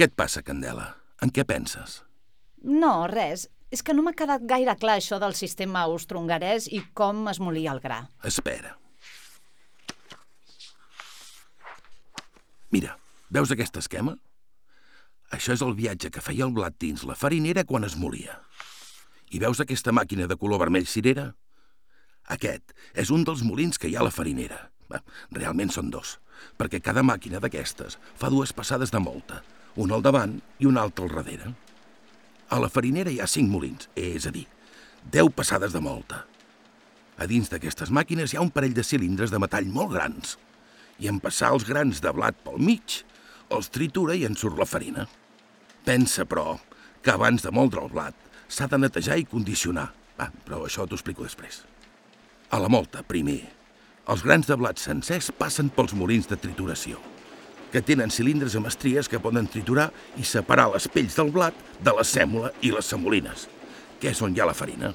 Què et passa, Candela? En què penses? No, res. És que no m'ha quedat gaire clar això del sistema austro-hongarès i com es molia el gra. Espera. Mira, veus aquest esquema? Això és el viatge que feia el blat dins la farinera quan es molia. I veus aquesta màquina de color vermell cirera? Aquest és un dels molins que hi ha a la farinera. Realment són dos, perquè cada màquina d'aquestes fa dues passades de molta, una al davant i una altra al darrere. A la farinera hi ha 5 molins, és a dir, 10 passades de molta. A dins d'aquestes màquines hi ha un parell de cilindres de metall molt grans, i en passar els grans de blat pel mig, els tritura i en surt la farina. Pensa, però, que abans de moldre el blat s'ha de netejar i condicionar. Però això t'ho explico després. A la molta, primer, els grans de blat sencers passen pels molins de trituració, que tenen cilindres amb estries que poden triturar i separar les pells del blat de la sèmola i les semolines, que és on hi ha la farina.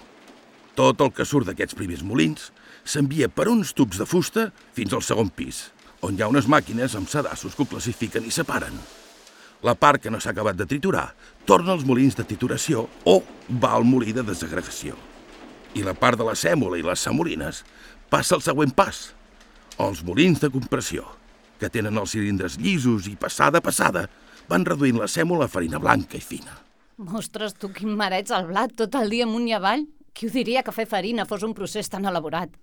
Tot el que surt d'aquests primers molins s'envia per uns tubs de fusta fins al segon pis, on hi ha unes màquines amb sedassos que ho classifiquen i separen. La part que no s'ha acabat de triturar torna als molins de trituració o va al molí de desagregació. I la part de la sèmola i les semolines passa al següent pas, els molins de compressió, que tenen els cilindres llisos i passada a passada van reduint la sèmola a farina blanca i fina. Ostres, tu quin mareig al blat tot el dia amunt i avall. Qui ho diria que fer farina fos un procés tan elaborat?